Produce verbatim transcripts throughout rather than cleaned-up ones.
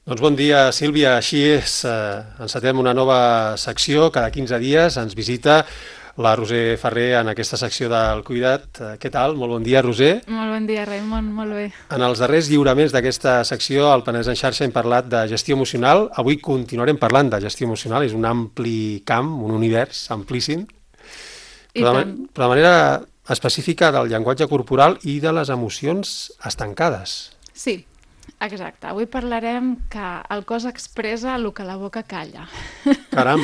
Doncs bon dia, Sílvia. Així és, eh, encetem una nova secció. Cada quinze dies ens visita la Roser Ferrer en aquesta secció del Cuida't. Eh, Què tal? Molt bon dia, Roser. Molt bon dia, Raimon, molt bé. En els darrers lliuraments d'aquesta secció, al Penedès en xarxa, hem parlat de gestió emocional. Avui continuarem parlant de gestió emocional. És un ampli camp, un univers amplíssim, I però de, tant. però de manera específica del llenguatge corporal i de les emocions estancades. Sí, exacte. Avui parlarem que el cos expressa el que la boca calla. Caram!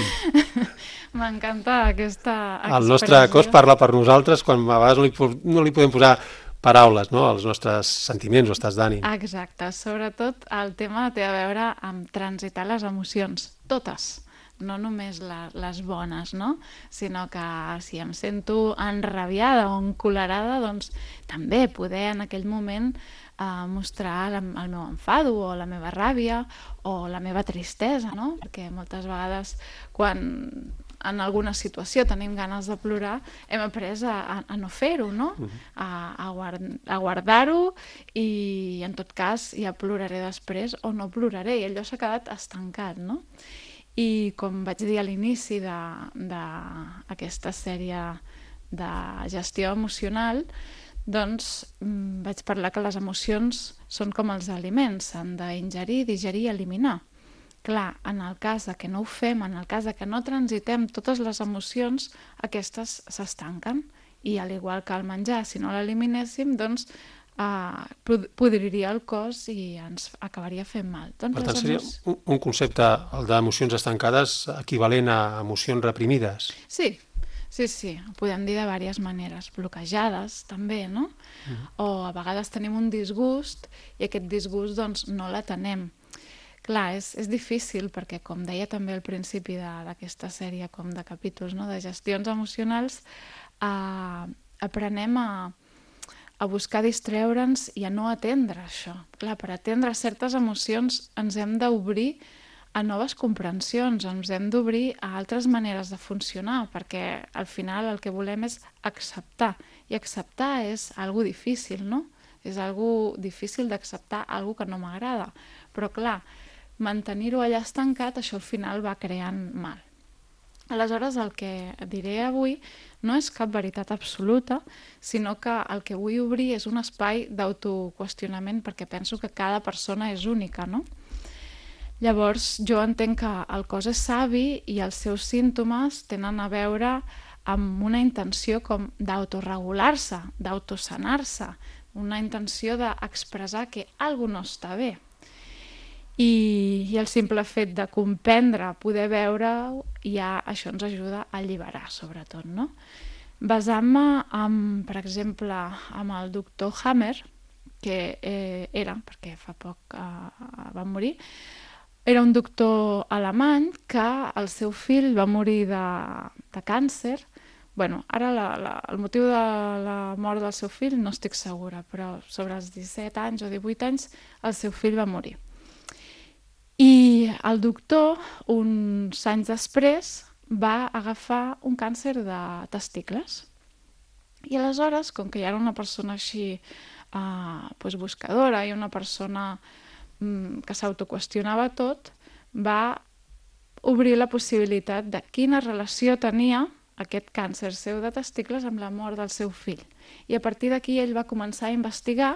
M'encanta aquesta El nostre cos expressió. parla per nosaltres quan a vegades no li, po- no li podem posar paraules, no?, als nostres sentiments o estats d'ànim. Exacte. Sobretot el tema té a veure amb transitar les emocions, totes. No només la, les bones, no? Sinó que si em sento enrabiada o encolerada, doncs també poder en aquell moment eh, mostrar la, el meu enfado o la meva ràbia o la meva tristesa, no? Perquè moltes vegades quan en alguna situació tenim ganes de plorar, hem après a, a, a no fer-ho, no? A, a, guard, a guardar-ho i en tot cas ja ploraré després o no ploraré i allò s'ha quedat estancat, no? I com vaig dir a l'inici d'aquesta sèrie de gestió emocional, doncs mm, vaig parlar que les emocions són com els aliments, s'han d'ingerir, digerir i eliminar. Clar, en el cas de que no ho fem, en el cas de que no transitem totes les emocions, aquestes s'estanquen. I al igual que el menjar, si no l'eliminéssim, doncs eh, podriria el cos i ens acabaria fent mal. Doncs Per les tant, seria emocions... un, un concepte, el d'emocions estancades, equivalent a emocions reprimides. Sí, sí, sí, ho podem dir de diverses maneres, bloquejades també, no? O a vegades tenim un disgust i aquest disgust doncs no l'atenem. Clar, és, és difícil perquè, com deia també al principi de- d'aquesta sèrie com de capítols, no? De gestions emocionals, eh, aprenem a, a buscar distreure'ns i a no atendre això. Clar, per atendre certes emocions ens hem d'obrir a noves comprensions, ens hem d'obrir a altres maneres de funcionar, perquè al final el que volem és acceptar, i acceptar és algo difícil, no? És algo difícil d'acceptar algo que no m'agrada, però clar, mantenir-ho allà estancat, això al final va creant mal. Aleshores, el que diré avui no és cap veritat absoluta, sinó que el que vull obrir és un espai d'autoqüestionament perquè penso que cada persona és única, no? Llavors, jo entenc que el cos és savi i els seus símptomes tenen a veure amb una intenció com d'autoregular-se, d'autosanar-se, una intenció d'expressar que alguna no està bé. I, i el simple fet de comprendre, poder veure, ja això ens ajuda a alliberar, sobretot, no? Basant-me, en, per exemple, amb el doctor Hammer, que eh, era, perquè fa poc eh, va morir, era un doctor alemany que el seu fill va morir de, de càncer. Bueno, ara la, la, el motiu de la mort del seu fill no estic segura, però sobre els disset anys o divuit anys el seu fill va morir. I el doctor, uns anys després, va agafar un càncer de testicles. I aleshores, com que ja era una persona així eh, pues buscadora i una persona mm, que s'autoqüestionava tot, va obrir la possibilitat de quina relació tenia aquest càncer seu de testicles amb la mort del seu fill. I a partir d'aquí ell va començar a investigar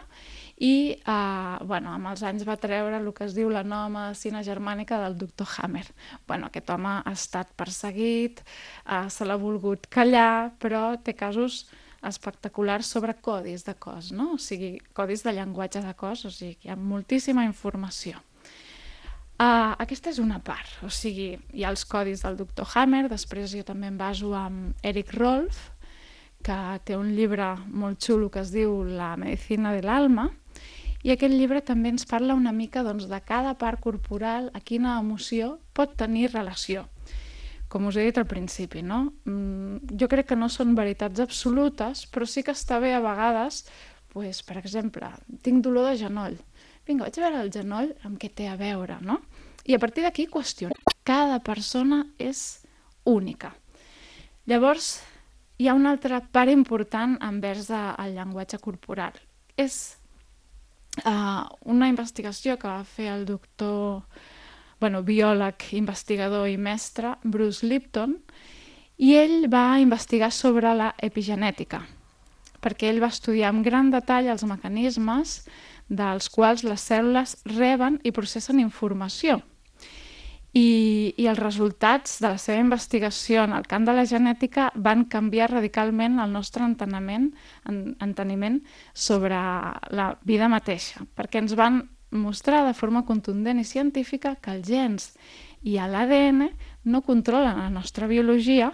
i eh, bueno, amb els anys va treure el que es diu la nova medicina germànica del doctor Hammer. Bueno, aquest home ha estat perseguit, eh, se l'ha volgut callar, però té casos espectaculars sobre codis de cos, no? O sigui, codis de llenguatge de cos, o sigui, hi ha moltíssima informació. Uh, aquesta és una part, o sigui, hi ha els codis del doctor Hammer, després jo també em baso amb Eric Rolf, que té un llibre molt xulo que es diu La medicina de l'alma, i aquest llibre també ens parla una mica doncs, de cada part corporal, a quina emoció pot tenir relació. Com us he dit al principi, no? Jo crec que no són veritats absolutes, però sí que està bé a vegades, pues, per exemple, tinc dolor de genoll. Vinga, vaig a veure el genoll amb què té a veure, no? I a partir d'aquí qüestionar. Cada persona és única. Llavors, hi ha una altra part important envers el llenguatge corporal. És uh, una investigació que va fer el doctor, bueno, biòleg, investigador i mestre, Bruce Lipton, i ell va investigar sobre la epigenètica, perquè ell va estudiar amb gran detall els mecanismes dels quals les cèl·lules reben i processen informació. I, i els resultats de la seva investigació en el camp de la genètica van canviar radicalment el nostre enteniment, en, enteniment sobre la vida mateixa, perquè ens van mostrar de forma contundent i científica que els gens i l'A D N no controlen la nostra biologia,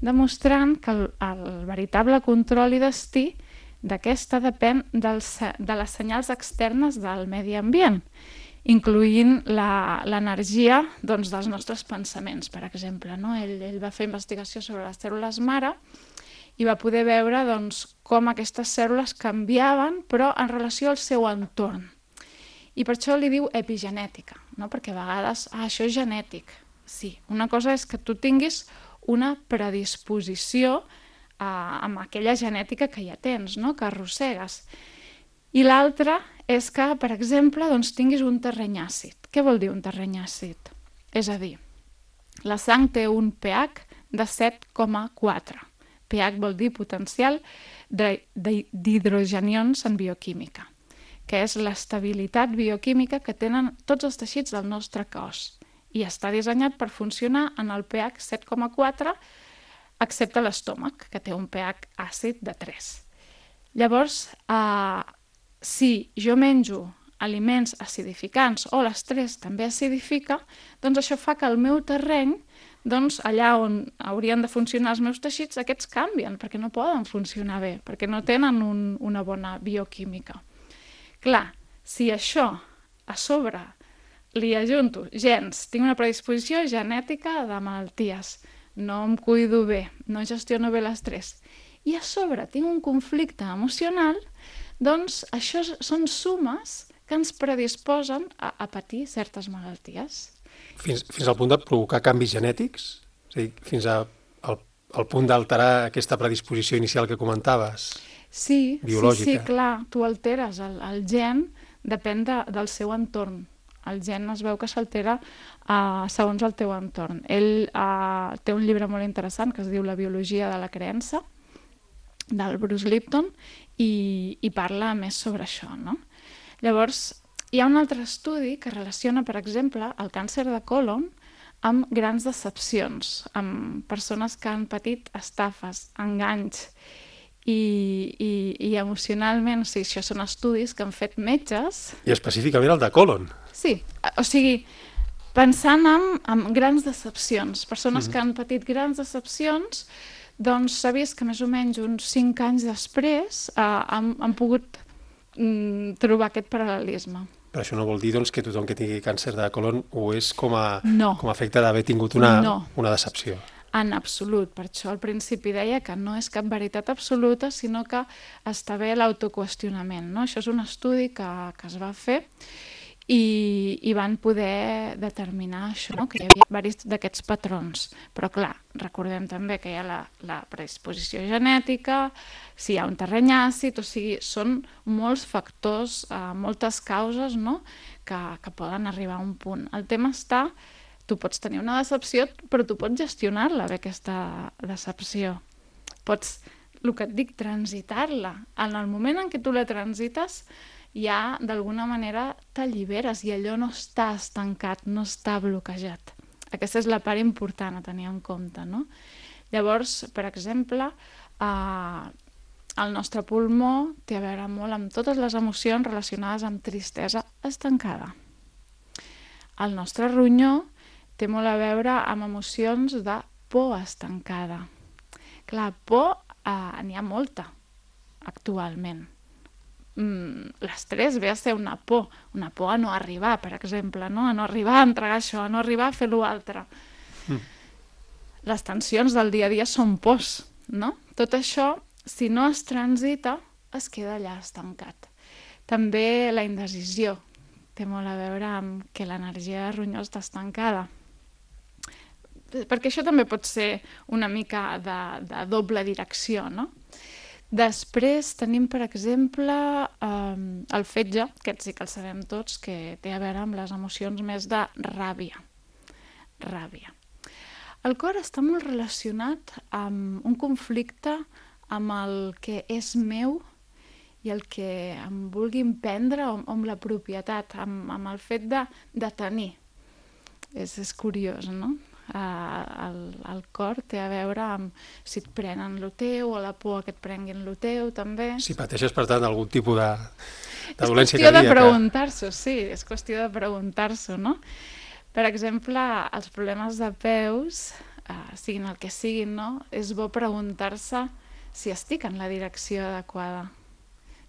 demostrant que el, el veritable control i destí d'aquesta depèn dels, de les senyals externes del medi ambient, incloent l'energia doncs, dels nostres pensaments, per exemple. No? Ell, ell va fer investigació sobre les cèl·lules mare i va poder veure doncs, com aquestes cèl·lules canviaven, però en relació al seu entorn. I per això li diu epigenètica, no? Perquè a vegades, ah, això és genètic. Sí, una cosa és que tu tinguis una predisposició a, amb aquella genètica que ja tens, no? Que arrossegues. I l'altra és que, per exemple, doncs, tinguis un terreny àcid. Què vol dir un terreny àcid? És a dir, la sang té un pH de set coma quatre. pH vol dir potencial d'hidrogenions en bioquímica, que és l'estabilitat bioquímica que tenen tots els teixits del nostre cos i està dissenyat per funcionar en el pH set coma quatre, excepte l'estómac, que té un pH àcid de tres. Llavors, eh, si jo menjo aliments acidificants o l'estrès també acidifica, doncs això fa que el meu terreny, doncs allà on haurien de funcionar els meus teixits, aquests canvien, perquè no poden funcionar bé, perquè no tenen un, una bona bioquímica. Clar, si això a sobre li ajunto gens, tinc una predisposició genètica de malalties, no em cuido bé, no gestiono bé l'estrès, i a sobre tinc un conflicte emocional, doncs això són sumes que ens predisposen a, a patir certes malalties. Fins, fins al punt de provocar canvis genètics? És a dir, fins a, al, al punt d'alterar aquesta predisposició inicial que comentaves? Sí, biològica. sí, sí, clar, tu alteres el, el gen, depèn de, del seu entorn. El gen es veu que s'altera uh, segons el teu entorn. Ell uh, té un llibre molt interessant que es diu La biologia de la creença, del Bruce Lipton, i, i parla més sobre això, no? Llavors, hi ha un altre estudi que relaciona, per exemple, el càncer de còlon amb grans decepcions, amb persones que han patit estafes, enganys, i, i, i emocionalment, o sigui, això són estudis que han fet metges. I específicament el de còlon. Sí, o sigui, pensant en, en grans decepcions, persones mm-hmm. que han patit grans decepcions, doncs s'ha vist que més o menys uns cinc anys després eh, han, han pogut mm, trobar aquest paral·lelisme. Però això no vol dir doncs, que tothom que tingui càncer de còlon ho és com a, no. com a efecte d'haver tingut una, no. una decepció. En absolut. Per això al principi deia que no és cap veritat absoluta, sinó que està bé l'autoqüestionament. No? Això és un estudi que, que es va fer i, i van poder determinar això, no? Que hi havia diversos d'aquests patrons. Però clar, recordem també que hi ha la, la predisposició genètica, si hi ha un terreny àcid, o sigui, són molts factors, eh, moltes causes, no? que, que poden arribar a un punt. El tema està... Tu pots tenir una decepció, però tu pots gestionar-la bé, aquesta decepció. Pots, el que et dic, transitar-la. En el moment en què tu la transites, ja d'alguna manera t'alliberes i allò no està estancat, no està bloquejat. Aquesta és la part important a tenir en compte, no? Llavors, per exemple, eh, el nostre pulmó té a veure molt amb totes les emocions relacionades amb tristesa estancada. El nostre ronyó té molt a veure amb emocions de por estancada. Clar, por eh, n'hi ha molta actualment. Mm, l'estrès ve a ser una por, una por a no arribar, per exemple, no? A no arribar a entregar això, a no arribar a fer l'altre. Mm. Les tensions del dia a dia són pors, no? Tot això, si no es transita, es queda allà estancat. També la indecisió té molt a veure amb que l'energia de ronyó està estancada. Perquè això també pot ser una mica de, de doble direcció, no? Després tenim, per exemple, eh, el fetge, aquest sí que el sabem tots, que té a veure amb les emocions més de ràbia. Ràbia. El cor està molt relacionat amb un conflicte amb el que és meu i el que em vulguin prendre o amb la propietat, amb, amb el fet de, de tenir. És, és curiós, no? Uh, el, el cor té a veure amb si et prenen lo teu o la por que et prenguin lo teu, també. Si pateixes, per tant, algun tipus de, de és dolència qüestió cardíaca. de preguntar-s'ho, sí, és qüestió de preguntar-s'ho, no? Per exemple, els problemes de peus, uh, siguin el que siguin, no? És bo preguntar-se si estic en la direcció adequada.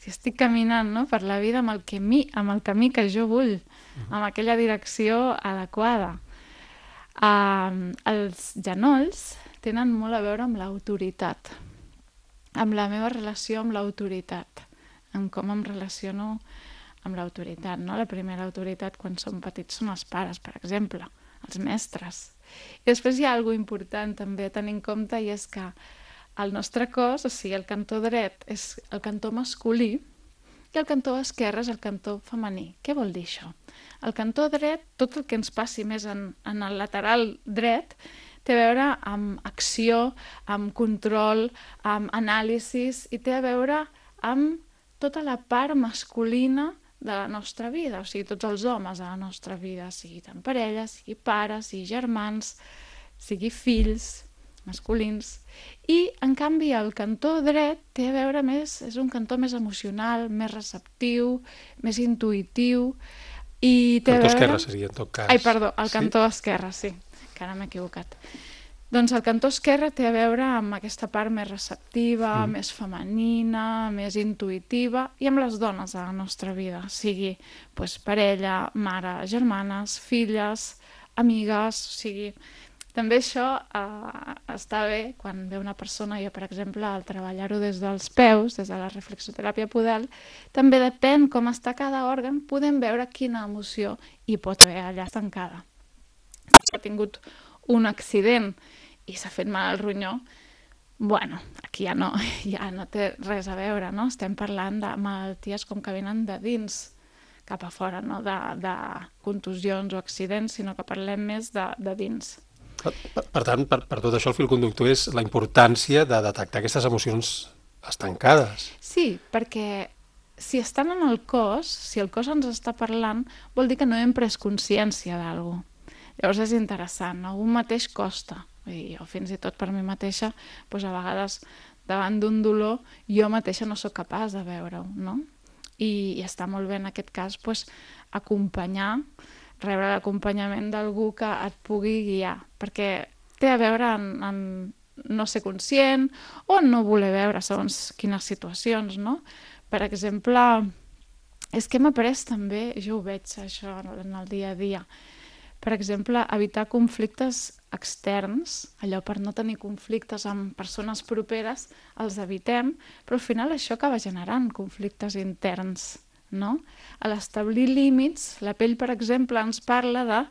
Si estic caminant, no? Per la vida amb el, camí, amb el camí que jo vull, amb aquella direcció adequada. Uh, els genolls tenen molt a veure amb l'autoritat, amb la meva relació amb l'autoritat, amb com em relaciono amb l'autoritat, no? La primera autoritat quan som petits són els pares, per exemple, els mestres. I després hi ha alguna important també a tenir en compte, i és que el nostre cos, o sigui, el cantó dret és el cantó masculí i el cantó esquerre és el cantó femení. Què vol dir això? El cantó dret, tot el que ens passi més en, en el lateral dret, té a veure amb acció, amb control, amb anàlisis, i té a veure amb tota la part masculina de la nostra vida, o sigui, tots els homes de la nostra vida, sigui tant parella, sigui pares, sigui germans, sigui fills masculins. I, en canvi, el cantó dret té a veure més, és un cantó més emocional, més receptiu, més intuïtiu, i té cantó a veure... esquerre seria, en tot cas. Ai, perdó, el sí? cantó esquerre, sí, que ara m'he equivocat. Doncs el cantó esquerre té a veure amb aquesta part més receptiva, mm. més femenina, més intuïtiva, i amb les dones de la nostra vida, sigui pues, parella, mare, germanes, filles, amigues, o sigui... També això eh, està bé quan ve una persona, jo per exemple, al treballar-ho des dels peus, des de la reflexoteràpia podal, també depèn com està cada òrgan, podem veure quina emoció hi pot haver allà estancada. Si ha tingut un accident i s'ha fet mal al ronyó, bueno, aquí ja no, ja no té res a veure, no? Estem parlant de malalties com que venen de dins cap a fora, no de, de contusions o accidents, sinó que parlem més de, de dins. Per, per tant, per, per tot això el fil conductor és la importància de detectar aquestes emocions estancades. Sí, perquè si estan en el cos, si el cos ens està parlant, vol dir que no hem pres consciència d'alguna cosa. Llavors és interessant, no? Un mateix costa. I jo fins i tot per mi mateixa, doncs a vegades davant d'un dolor, jo mateixa no sóc capaç de veure-ho, no? I, i està molt bé en aquest cas doncs, acompanyar, rebre l'acompanyament d'algú que et pugui guiar, perquè té a veure en, en no ser conscient o en no voler veure segons quines situacions, no? Per exemple, és que hem après també, jo ho veig això en el dia a dia, per exemple, evitar conflictes externs, allò per no tenir conflictes amb persones properes, els evitem, però al final això acaba generant conflictes interns, no? A l'establir límits, la pell, per exemple, ens parla de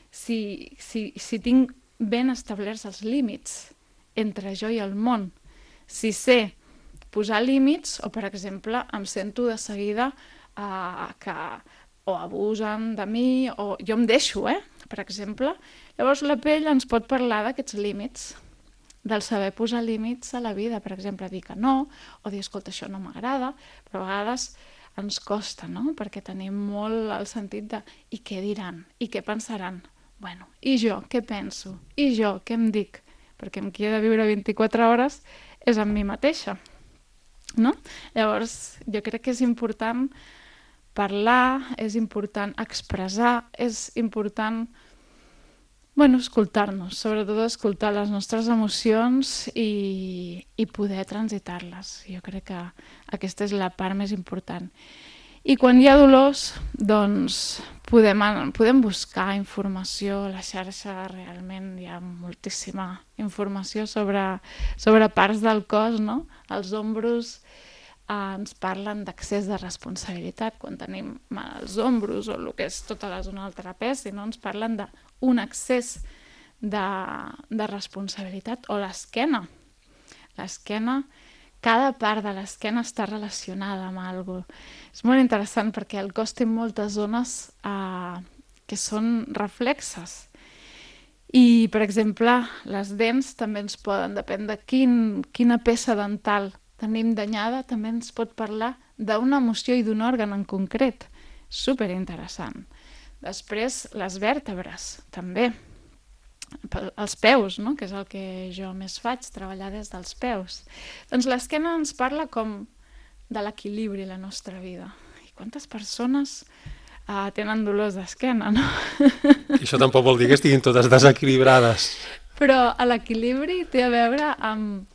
si, si, si tinc ben establerts els límits entre jo i el món. Si sé posar límits, o per exemple, em sento de seguida eh, que o abusen de mi, o jo em deixo, eh? Per exemple. Llavors la pell ens pot parlar d'aquests límits, del saber posar límits a la vida, per exemple, dir que no, o dir, escolta, això no m'agrada, però a vegades ens costa, no? Perquè tenim molt el sentit de i què diran, i què pensaran. Bueno, i jo, què penso? I jo, què em dic? Perquè amb qui he de viure vint-i-quatre hores és amb mi mateixa, no? Llavors, jo crec que és important parlar, és important expressar, és important bueno, escoltar-nos, sobretot escoltar les nostres emocions i, i poder transitar-les. Jo crec que aquesta és la part més important. I quan hi ha dolors, doncs podem, podem buscar informació a la xarxa, realment hi ha moltíssima informació sobre, sobre parts del cos, no? Els ombros eh, ens parlen d'accés de responsabilitat, quan tenim mal als ombros o el que és tota la zona del trapezi, no? Ens parlen de un excés de, de responsabilitat, o l'esquena. L'esquena, cada part de l'esquena està relacionada amb alguna cosa. És molt interessant perquè el cos té moltes zones eh, que són reflexes. I, per exemple, les dents també ens poden, depèn de quin, quina peça dental tenim danyada, també ens pot parlar d'una emoció i d'un òrgan en concret. Superinteressant. Després, les vèrtebres, també. Els peus, no? Que és el que jo més faig, treballar des dels peus. Doncs l'esquena ens parla com de l'equilibri a la nostra vida. I quantes persones uh, tenen dolors d'esquena, no? I això tampoc vol dir que estiguin totes desequilibrades. Però l'equilibri té a veure amb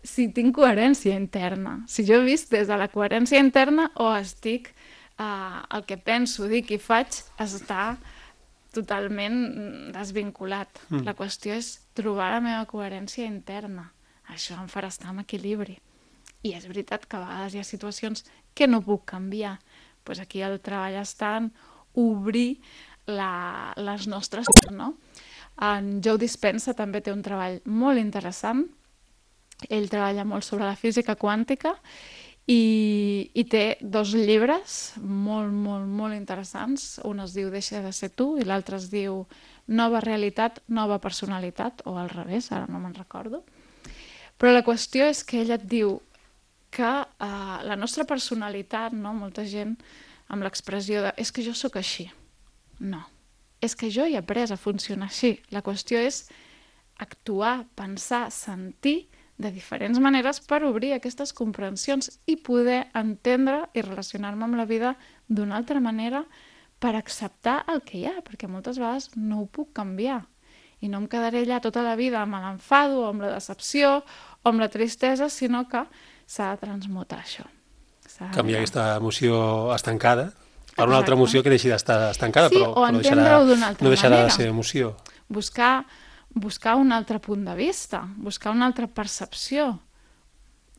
si tinc coherència interna. Si jo he vist des de la coherència interna o estic, uh, el que penso, dic i faig, està totalment desvinculat. Mm. La qüestió és trobar la meva coherència interna. Això em farà estar en equilibri. I és veritat que a vegades hi ha situacions que no puc canviar. Pues aquí el treball està en obrir la, les nostres... No? En Joe Dispenza també té un treball molt interessant. Ell treballa molt sobre la física quàntica i, i té dos llibres molt, molt, molt interessants. Un es diu Deixa de ser tu i l'altre es diu Nova realitat, nova personalitat, o al revés, ara no me'n recordo. Però la qüestió és que ell et diu que uh, la nostra personalitat, no? Molta gent amb l'expressió de és que jo sóc així. No, és que jo he après a funcionar així. La qüestió és actuar, pensar, sentir de diferents maneres per obrir aquestes comprensions i poder entendre i relacionar-me amb la vida d'una altra manera per acceptar el que hi ha, perquè moltes vegades no ho puc canviar i no em quedaré allà tota la vida amb l'enfado o amb la decepció o amb la tristesa, sinó que s'ha de transmutar això. Canviar aquesta emoció estancada per una altra emoció que deixi d'estar estancada, sí, però, o però deixarà, d'una altra no deixarà manera. de ser emoció. Buscar buscar un altre punt de vista, buscar una altra percepció.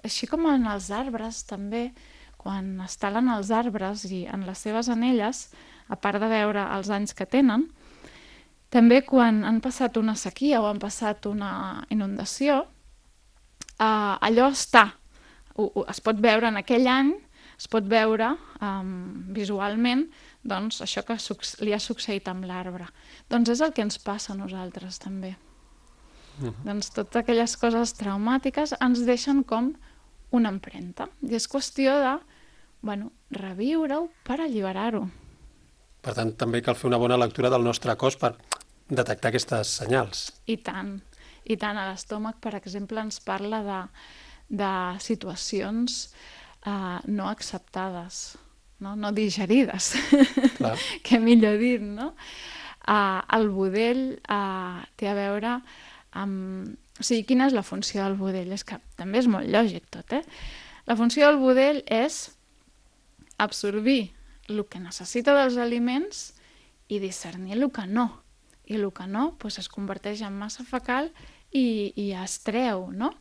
Així com en els arbres, també, quan es talen els arbres i en les seves anelles, a part de veure els anys que tenen, també quan han passat una sequia o han passat una inundació, eh, allò està. O, o, es pot veure en aquell any, es pot veure um, visualment doncs, això que li ha succeït amb l'arbre. Doncs és el que ens passa a nosaltres també. Uh-huh. Doncs totes aquelles coses traumàtiques ens deixen com una empremta. I és qüestió de, bueno, reviure-ho per alliberar-ho. Per tant, també cal fer una bona lectura del nostre cos per detectar aquestes senyals. I tant. I tant. A l'estómac, per exemple, ens parla de, de situacions uh, no acceptades, no, no digerides, que millor dit, no? Uh, el budell uh, té a veure amb... O sigui, quina és la funció del budell? És que també és molt lògic tot, eh? La funció del budell és absorbir el que necessita dels aliments i discernir el que no. I el que no doncs, es converteix en massa fecal i, i es treu, no?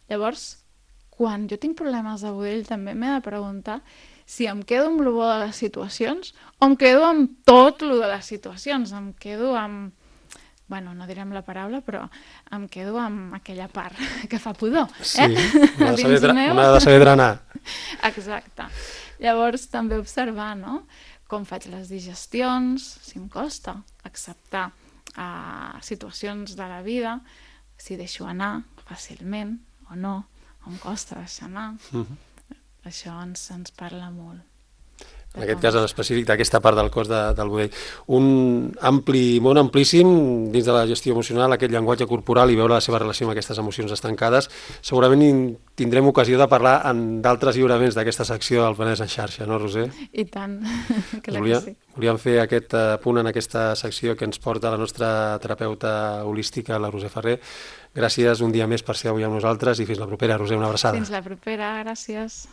Llavors, quan jo tinc problemes de budell també m'he de preguntar si em quedo amb el bo de les situacions o em quedo amb tot el de les situacions. Em quedo amb... Bueno, no direm la paraula, però em quedo amb aquella part que fa pudor. Sí, eh? una, de saber, una de saber drenar. Exacte. Llavors, també observar, no?, com faig les digestions, si em costa acceptar uh, situacions de la vida, si deixo anar fàcilment o no, o em costa deixar anar. Mm-hmm. Això ens, ens parla molt. En aquest cas en específic d'aquesta part del cos de, del budell. Un ampli, món amplíssim dins de la gestió emocional, aquest llenguatge corporal i veure la seva relació amb aquestes emocions estancades. Segurament tindrem ocasió de parlar en d'altres lliuraments d'aquesta secció del Penedès en xarxa, no, Roser? I tant, clar Volia, que sí. Volíem fer aquest punt en aquesta secció que ens porta la nostra terapeuta holística, la Roser Ferrer. Gràcies un dia més per ser avui amb nosaltres i fins la propera, Roser, una abraçada. Fins la propera, gràcies.